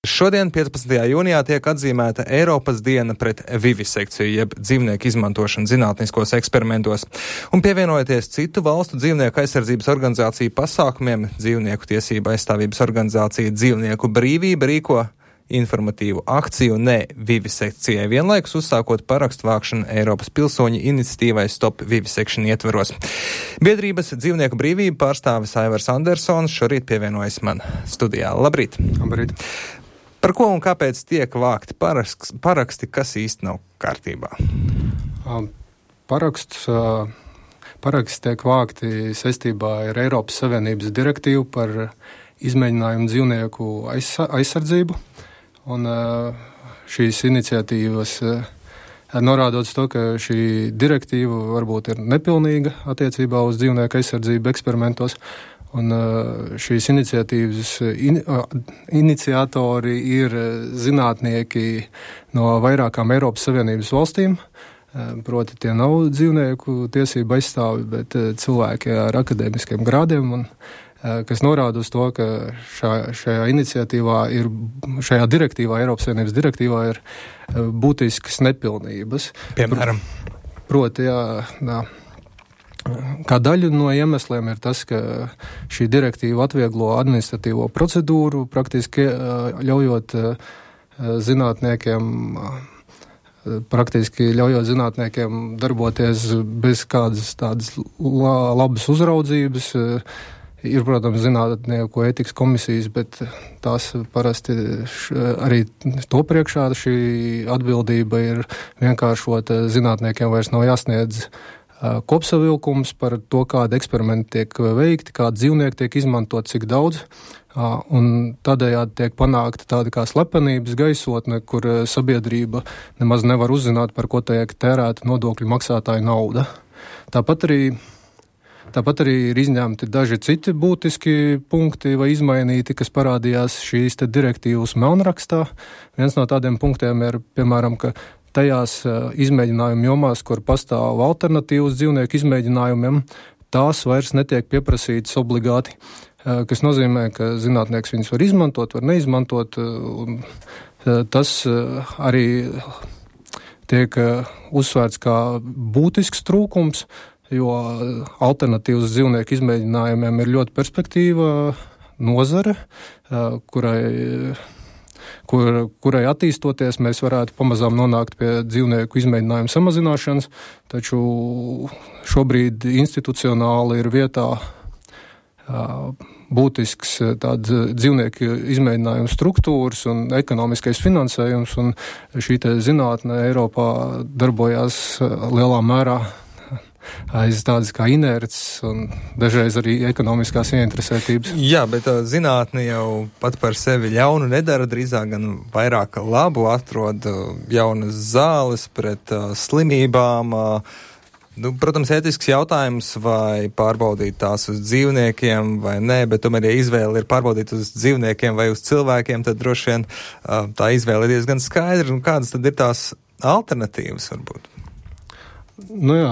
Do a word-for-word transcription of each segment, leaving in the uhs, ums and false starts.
Šodien, piecpadsmitajā jūnijā, tiek atzīmēta Eiropas diena pret vivisekciju, jeb dzīvnieku izmantošanu zinātniskos eksperimentos. Un pievienojoties citu valstu dzīvnieku aizsardzības organizāciju pasākumiem, dzīvnieku tiesība aizstāvības organizācija Dzīvnieku brīvība rīko informatīvu akciju ne vivisekcijai, vienlaikus uzsākot parakstu vākšanu Eiropas pilsoņu iniciatīvai Stop Vivisection ietvaros. Biedrības Dzīvnieku brīvība pārstāvis Aivars Andersons šorīt pievienojas man studijā. Labrīt! Labrīt! Par ko un kāpēc tiek vākti paraksti, paraksti kas īsti nav kārtībā? Paraksts, paraksts tiek vākti saistībā ar Eiropas Savienības direktīvu par izmēģinājumu dzīvnieku aizsardzību. Un šīs iniciatīvas norādot to, ka šī direktīva varbūt ir nepilnīga attiecībā uz dzīvnieku aizsardzību eksperimentos. Un šīs iniciatīvas in, iniciatori ir zinātnieki no vairākām Eiropas Savienības valstīm. Proti tie nav dzīvnieku tiesību aizstāvi, bet cilvēki ar akadēmiskiem grādiem, un, kas norāda uz to, ka šā, šajā iniciatīvā ir, šajā direktīvā, Eiropas Savienības direktīvā ir būtiskas nepilnības. Piemēram? Proti, jā, jā. Kā daļa no iemesliem ir tas, ka šī direktīva atvieglo administratīvo procedūru, praktiski ļaujot zinātniekiem, praktiski ļaujot zinātniekiem darboties bez kādas tādas labas uzraudzības. Ir, protams, zinātnieku ētikas komisijas, bet tās parasti arī to priekšā šī atbildība ir vienkāršota. Zinātniekiem vairs nav jāsniedz kopsavilkums par to, kādi eksperimenti tiek veikti, kādi dzīvnieki tiek izmantot, cik daudz. Un tādējādi tiek panākta tāda kā slepenības gaisotne, kur sabiedrība nemaz nevar uzzināt, par ko tiek tērēta nodokļu maksātāja nauda. Tāpat arī, tāpat arī ir izņemti daži citi būtiski punkti vai izmainīti, kas parādījās šīs te direktīvas melnrakstā. Viens no tādiem punktiem ir, piemēram, ka tajās izmēģinājumu jomās, kur pastāv alternatīvas dzīvnieku izmēģinājumiem, tās vairs netiek pieprasītas obligāti, kas nozīmē, ka zinātnieks viņus var izmantot, var neizmantot. Tas arī tiek uzsvērts kā būtisks trūkums, jo alternatīvas dzīvnieku izmēģinājumiem ir ļoti perspektīva nozare, kurai Kur, kurai attīstoties, mēs varētu pamazām nonākt pie dzīvnieku izmēģinājumu samazināšanas, taču šobrīd institucionāli ir vietā būtisks tāds dzīvnieku izmēģinājumu struktūras un ekonomiskais finansējums, un šī te zinātne Eiropā darbojās lielā mērā aiz tādas kā inerces un dažreiz arī ekonomiskās ieinteresētības. Jā, bet zinātne jau pat par sevi ļaunu nedara, drīzāk gan vairāk labu, atrod jaunas zāles pret uh, slimībām. Uh, nu, protams, ētisks jautājums, vai pārbaudīt tās uz dzīvniekiem vai nē, bet tomēr, ja izvēle ir pārbaudīt uz dzīvniekiem vai uz cilvēkiem, tad droši vien uh, tā izvēle ir diezgan skaidra. Un kādas tad ir tās alternatīvas varbūt? Nu jā,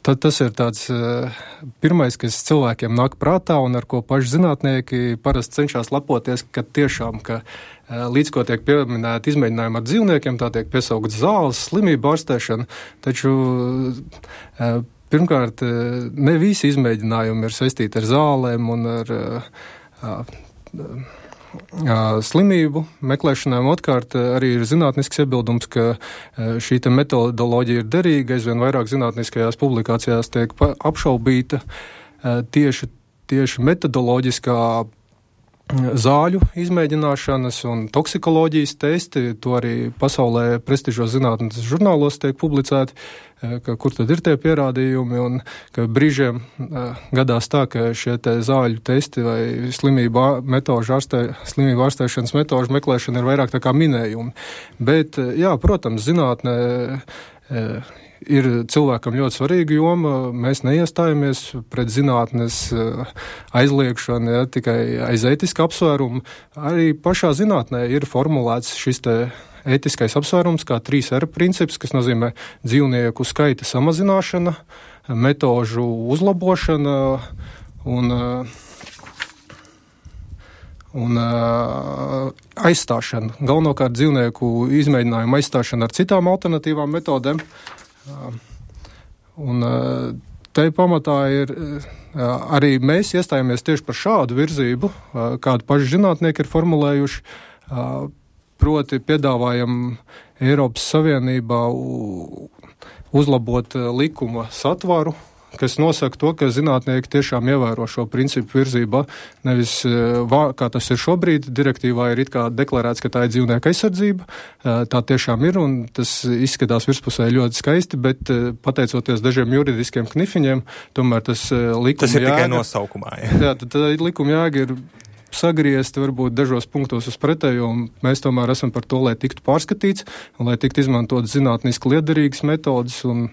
tad tas ir tāds pirmais, kas cilvēkiem nāk prātā un ar ko paši zinātnieki parasti cenšas lepoties, ka tiešām, ka līdz ko tiek pieminēti izmēģinājumi ar dzīvniekiem, tā tiek piesaukts zāles, slimību ārstēšana, taču pirmkārt ne visi izmēģinājumi ir saistīti ar zālēm un ar slimību meklēšanām. Otkārt arī ir zinātnisks iebildums, ka šī te metodoloģija ir derīga, aizvien vairāk zinātniskajās publikācijās tiek apšaubīta tieši, tieši metodoloģiskā zāļu izmēģināšanas un toksikoloģijas testi, to arī pasaulē prestižos zinātnes žurnālos tiek publicēti, ka kur tad ir tie pierādījumi, un ka brīžiem gadās tā, ka šie te zāļu testi vai slimību metožu ārstē, slimību ārstēšanas metožu meklēšana ir vairāk tā kā minējumi. Bet, jā, protams, zinātnē ir cilvēkam ļoti svarīga joma. Mēs neiestājamies pret zinātnes aizliekšanu, ja, tikai aiz ētiska apsvērumu. Arī pašā zinātnē ir formulēts šis te ētiskais apsvērums kā trīs R princips, kas nozīmē dzīvnieku skaita samazināšana, metožu uzlabošana un, un uh, aizstāšana. Galvenokārt dzīvnieku izmēģinājumu aizstāšana ar citām alternatīvām metodēm. Uh, un uh, te pamatā ir uh, arī mēs iestājāmies tieši par šādu virzību, uh, kādu paši zinātnieki ir formulējuši, uh, proti piedāvājam Eiropas Savienībā uzlabot uh, likuma satvaru, kas nosaka to, ka zinātnieki tiešām ievēro šo principu virzībā, nevis, kā tas ir šobrīd, direktīvā ir it kā deklarēts, ka tā ir dzīvnieka aizsardzība, tā tiešām ir, un tas izskatās virspusē ļoti skaisti, bet pateicoties dažiem juridiskiem knifiņiem, tomēr tas likuma tas ir jēga, tikai nosaukumā. Jā, jā tad, tad likuma jēga ir sagriezti varbūt dažos punktos uz pretējo, un mēs tomēr esam par to, lai tiktu pārskatīts, un lai tiktu izmantot zinātniski liederīgas metodas, un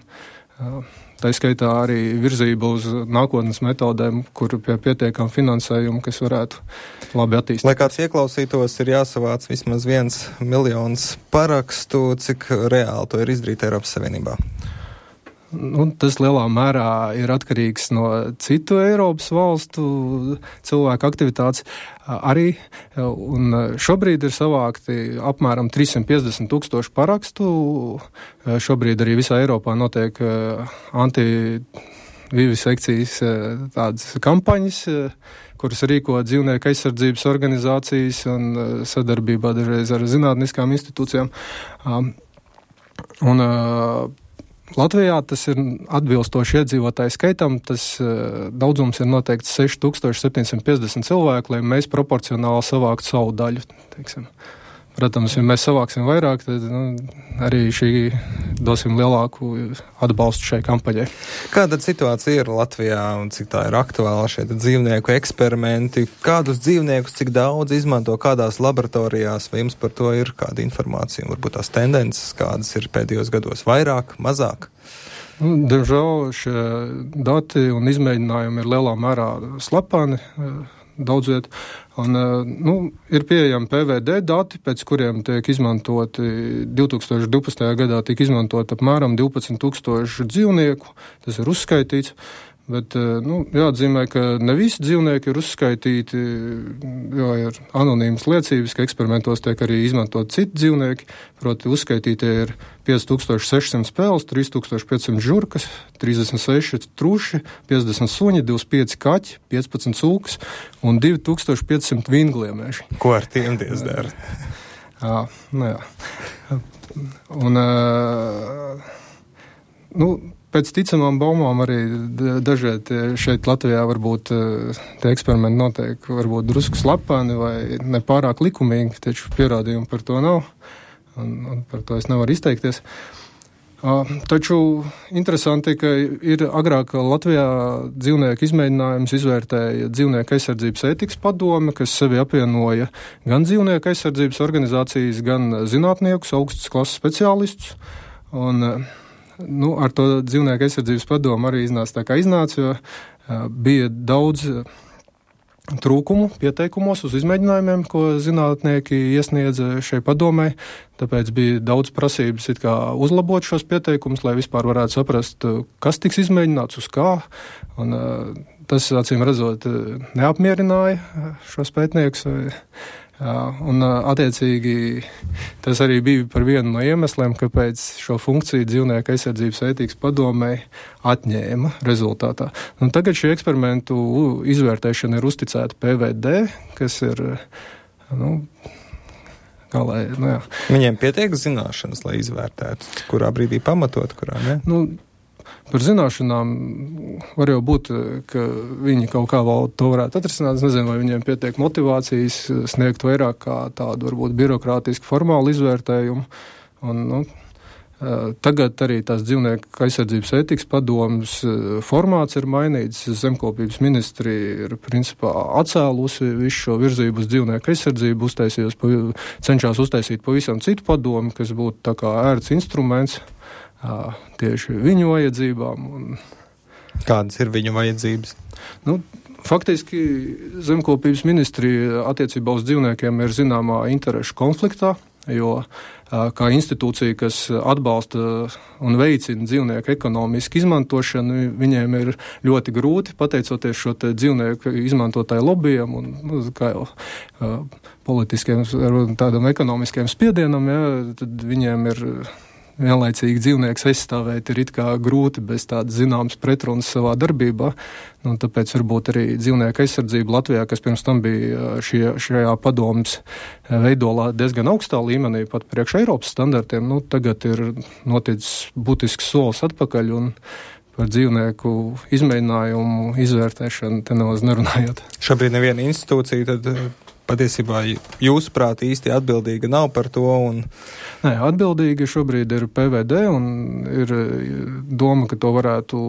tā skaitā arī virzība uz nākotnes metodēm, kur pie pietiekam finansējumu, kas varētu labi attīstīt. Lai kāds ieklausītos, ir jāsavāc vismaz viens miljons parakstu, cik reāli to ir izdarīt Eiropas Savienībā? Nu, tas lielā mērā ir atkarīgs no citu Eiropas valstu cilvēku aktivitātes arī, un šobrīd ir savākti apmēram trīs simti piecdesmit tūkstoši parakstu. Šobrīd arī visā Eiropā notiek antivivisekcijas tādas kampaņas, kuras rīko dzīvnieku aizsardzības organizācijas un sadarbībā dažreiz ar zinātniskām institūcijām. Un Latvijā tas ir atbilstoši iedzīvotāju skaitam, tas uh, daudzums ir noteikts seši tūkstoši septiņi simti piecdesmit cilvēku, lai mēs proporcionāli savāktu savu daļu, teiksim. Protams, ja mēs savāksim vairāk, tad nu, arī šī dosim lielāku atbalstu šai kampaņai. Kāda situācija ir Latvijā un cik tā ir aktuāla šie dzīvnieku eksperimenti? Kādus dzīvniekus, cik daudz izmanto kādās laboratorijās? Vai jums par to ir kāda informācija? Varbūt tās tendences, kādas ir pēdējos gados vairāk, mazāk? Nu, diemžēl šie dati un izmēģinājumi ir lielā mērā slepeni. Daudz viet. Un, nu, ir pieejami P V D dati, pēc kuriem tiek izmantoti divi tūkstoši divpadsmitajā gadā tika izmantot apmēram divpadsmit tūkstoši dzīvnieku. Tas ir uzskaitīts. Bet, nu, jāatzīmē, ka ne visi dzīvnieki ir uzskaitīti, jo ir anonīmas liecības, ka eksperimentos tiek arī izmantot citi dzīvnieki, proti uzskaitītie ir pieci tūkstoši seši simti spēles, trīs tūkstoši pieci simti žurkas, trīsdesmit seši truši, piecdesmit suņi, divdesmit pieci kaķi, piecpadsmit cūkas un divi tūkstoši pieci simti vingliemēši. Ko ar tiem diez dara? Jā, nu jā. Un, uh, nu, pēc ticamām baumām arī dažreiz šeit Latvijā varbūt tie eksperimenti notiek varbūt drusku slepeni vai nepārāk likumīgi, taču pierādījumu par to nav, un, un par to es nevaru izteikties. Uh, taču interesanti, ka ir agrāk Latvijā dzīvnieku izmēģinājums izvērtēja dzīvnieku aizsardzības ētikas padome, kas sevi apvienoja gan dzīvnieku aizsardzības organizācijas, gan zinātniekus, augstas klases speciālistus, un nu, ar to dzīvnieku aizsardzības padomu arī iznāca tā kā iznāca, jo uh, bija daudz uh, trūkumu pieteikumos uz izmēģinājumiem, ko zinātnieki iesniedza šai padomei, tāpēc bija daudz prasības it kā uzlabot šos pieteikumus, lai vispār varētu saprast, uh, kas tiks izmēģināts, uz kā, un uh, tas, acīm redzot, uh, neapmierināja uh, šos pētniekus, vai un attiecīgi tas arī bija par vienu no iemesliem, kāpēc šo funkciju dzīvnieku aizsardzības ētikas padomei atņēma rezultātā. Un tagad šī eksperimentu izvērtēšana ir uzticēta P V D, kas ir, nu, kā lai, nu jā. Viņiem pietiek zināšanas, lai izvērtētu, kurā brīdī pamatot, kurā ne? Nu, par zināšanām var jau būt, ka viņi kaut kā vēl to varētu atrisināt. Es nezinu, vai viņiem pietiek motivācijas sniegt vairāk kā tādu varbūt birokrātisku formālu izvērtējumu. Un, nu, tagad arī tās dzīvnieku aizsardzības ētikas padomas formāts ir mainīts. Zemkopības ministrija ir principā atcēlusi visu šo virzību uz dzīvnieku aizsardzību, uztaisījos, cenšās uztaisīt pavisam citu padomu, kas būtu tā kā ērts instruments tieši viņu vajadzībām. Un, kādas ir viņu vajadzības? Nu, faktiski Zemkopības ministrija attiecībā uz dzīvniekiem ir zināmā interešu konfliktā. jo kā institūcija, kas atbalsta un veicina dzīvnieku ekonomisku izmantošanu, viņiem ir ļoti grūti, pateicoties šo te dzīvnieku izmantotāju lobbyiem un, nu, kā jau politiskiem, tādam ekonomiskiem spiedienam, ja, tad viņiem ir vienlaicīgi dzīvnieks aizstāvēt ir it kā grūti bez tādas zināmas pretrunas savā darbībā. Nu, tāpēc varbūt arī dzīvnieku aizsardzība Latvijā, kas pirms tam bija šie, šajā padomas veidolā diezgan augstā līmenī, pat priekš Eiropas standartiem, nu, tagad ir noticis būtisks solis atpakaļ un par dzīvnieku izmēģinājumu, izvērtēšanu te nemaz nerunājot. Šobrīd neviena institūcija tad patiesībā jūsuprāt īsti atbildīga nav par to? Un... Nē, atbildīga šobrīd ir P V D un ir doma, ka to varētu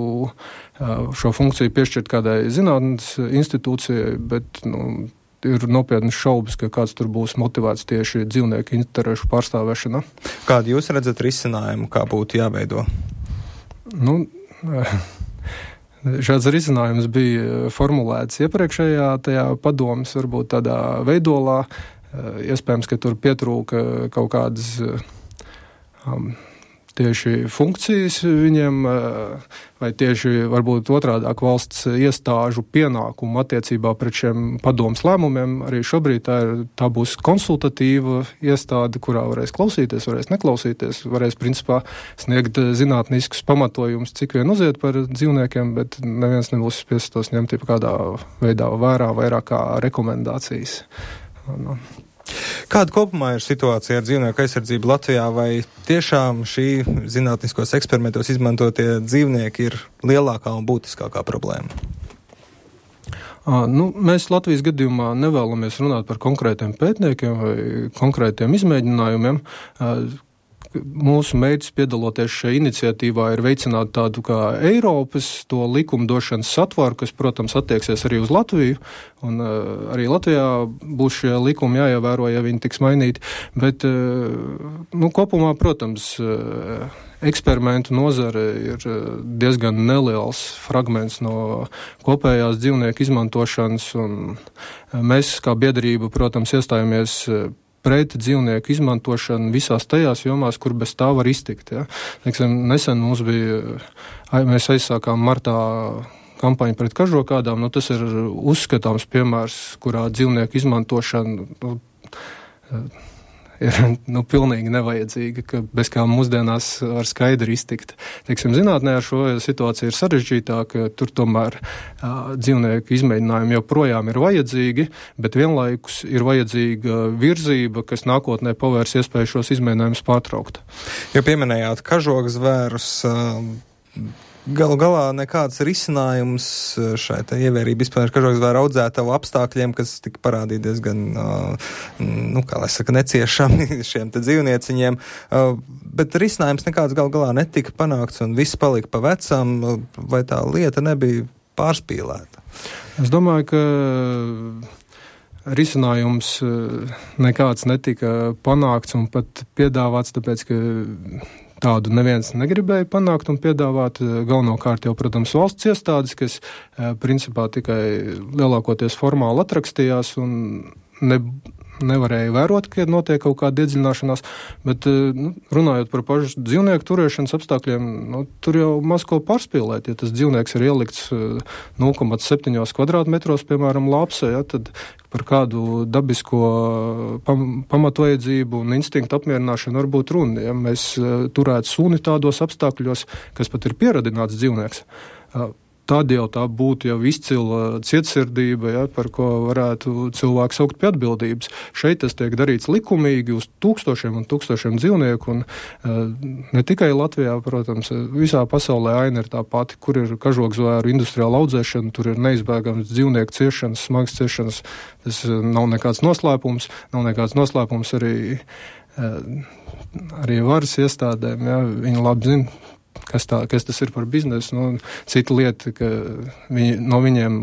šo funkciju piešķirt kādai zinātnes institūcijai, bet, nu, ir nopietnas šaubas, ka kāds tur būs motivēts tieši dzīvnieku interešu pārstāvēšanā. Kādu jūs redzat risinājumu, kā būtu jāveido? Nu, šāds risinājums bija formulēts iepriekšējā tajā padomas, varbūt tādā veidolā. Iespējams, ka tur pietrūka kaut kādas um, tieši funkcijas viņiem, vai tieši varbūt otrādāk valsts iestāžu pienākumu attiecībā pret šiem padomas lēmumiem. Arī šobrīd tā, ir, tā būs konsultatīva iestāde, kurā varēs klausīties, varēs neklausīties, varēs principā sniegt zinātniskus pamatojumus, cik vien uziet par dzīvniekiem, bet neviens nebūs spiests tos ņemt kādā veidā vērā, vairāk kā rekomendācijas. No. Kāda kopumā ir situācija ar dzīvnieku aizsardzību Latvijā, vai tiešām šī zinātniskos eksperimentos izmantotie dzīvnieki ir lielākā un būtiskākā problēma? À, nu, mēs Latvijas gadījumā nevēlamies runāt par konkrētiem pētniekiem vai konkrētiem izmēģinājumiem. À, Mūsu mērķis piedaloties šajā iniciatīvā ir veicināt tādu kā Eiropas to likumdošanas satvaru, kas, protams, attieksies arī uz Latviju, un uh, arī Latvijā būs šie likumi jāievēro, ja viņi tiks mainīti, bet, uh, nu, kopumā, protams, uh, eksperimentu nozare ir diezgan neliels fragments no kopējās dzīvnieku izmantošanas, un mēs, kā biedrība, protams, iestājamies pret dzīvnieku izmantošanu visās tajās jomās, kur bez tā var iztikt. Ja. Teiksim, nesen mums bija, mēs aizsākām martā kampaņu pret kažokādām, nu tas ir uzskatāms piemērs, kurā dzīvnieku izmantošana nu, ir nu, pilnīgi nevajadzīga, ka bez kā mūsdienās var skaidri iztikt. Teiksim, zinātnē ar šo situāciju ir sarežģītāka, tur tomēr uh, dzīvnieku izmēģinājumi joprojām ir vajadzīgi, bet vienlaikus ir vajadzīga virzība, kas nākotnē pavērs iespēju šos izmēģinājumus pārtraukt. Jo pieminējāt kažokzvērus, uh, galu galā nekāds risinājums šai te ievērību izpildīšanai kažokzvēru audzētavu apstākļiem, kas tika parādīti diezgan, uh, nu, kā lai saka, neciešami šiem te dzīvnieciņiem, uh, bet risinājums nekāds galu galā netika panākts un viss palika pa vecam, vai tā lieta nebija pārspīlēta? Es domāju, ka risinājums nekāds netika panākts un pat piedāvāts, tāpēc, ka tādu neviens negribēja panākt un piedāvāt. Galvenokārt jau, protams, valsts iestādes, kas principā tikai lielākoties formāli atrakstījās un ne, nevarēja vērot, ka notiek kaut kāda iedziļināšanās, bet nu, runājot par pašu dzīvnieku turēšanas apstākļiem, nu, tur jau maz ko pārspīlēt. Ja tas dzīvnieks ir ielikts nulle komats septiņi kvadrātmetros, piemēram, lapsē, ja, tad par kādu dabisko pam, pamatvajadzību un instinktu apmierināšanu var būt runa. Ja mēs turētu suni tādos apstākļos, kas pat ir pieradināts dzīvnieks, tad jau tā būtu jau izcila cietsirdība, ja, par ko varētu cilvēku saukt pie atbildības. Šeit tas tiek darīts likumīgi uz tūkstošiem un tūkstošiem dzīvnieku, un uh, ne tikai Latvijā, protams, visā pasaulē aina ir tā pati, kur ir kažokzvēru industriāla audzēšana, tur ir neizbēgams dzīvnieku ciešanas, smagas ciešanas. Tas nav nekāds noslēpums, nav nekāds noslēpums arī, uh, arī varas iestādēm, ja, viņi labi zina, Kas, tā, kas tas ir par biznesu. Nu, cita lieta, ka viņi, no viņiem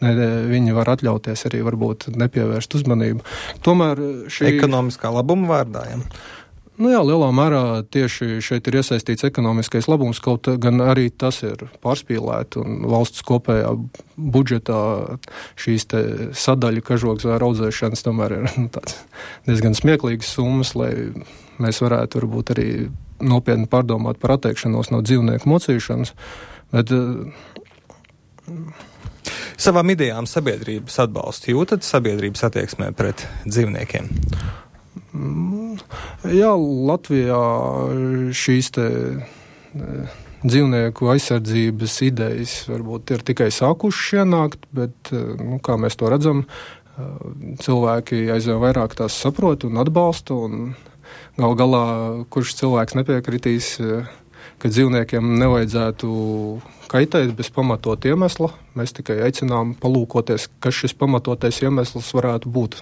ne, viņi var atļauties arī varbūt nepievērst uzmanību. Tomēr šī... Ekonomiskā labuma vārdā, ja? Nu jā, lielā mērā tieši šeit ir iesaistīts ekonomiskais labums, kaut gan arī tas ir pārspīlēti un valsts kopējā budžetā šīs te sadaļu kažokzvēru audzēšanas tomēr ir nu, tāds diezgan smieklīgas summas, lai mēs varētu varbūt arī nopietni pārdomāt par atteikšanos no dzīvnieku mocīšanas, bet savām idejām sabiedrības atbalstu jūtat sabiedrības attieksmē pret dzīvniekiem? Jā, Latvijā šīs te dzīvnieku aizsardzības idejas varbūt ir tikai sākušas ienākt, bet, nu, kā mēs to redzam, cilvēki aizvien vairāk tās saprot un atbalsta, un gal galā, kurš cilvēks nepiekritīs, ka dzīvniekiem nevajadzētu kaitēt bez pamatot iemesla. Mēs tikai aicinām palūkoties, kas šis pamatotais iemesls varētu būt.